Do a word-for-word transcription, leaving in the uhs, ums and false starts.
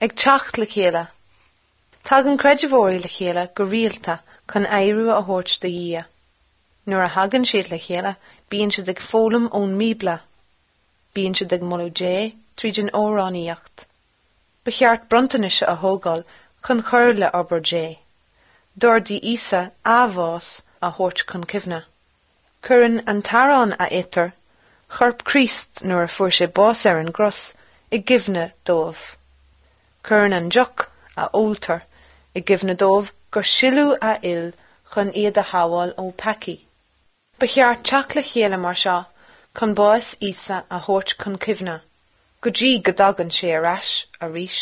Ag teacht le chéile. Tagann creidmheoirí le chéile go rialta chun adhradh a thabhairt do Dhia. Nuair a thagann siad le chéile, bíonn siad ag foghlaim ón mBíobla. Bíonn siad ag moladh Dé tríd an amhránaíocht. Ba cheart bronntanais a thógáil chun cur le obair Dé. D'ordaigh Íosa a bhás a thabhairt chun cuimhne. Cuireann an t-arán a itear, corp Chríost nuair a fuair sé bás ar an gcros i gcuimhne dóibh. Cuireann an deoch a óltar i gcuimhne dóibh gur sileadh a fhuil chun iad a shábháil ó pheacaí. Ba cheart teacht le chéile mar seo chun bás Íosa a thabhairt chun cuimhne, go dtí go dtagann sé ar ais arís.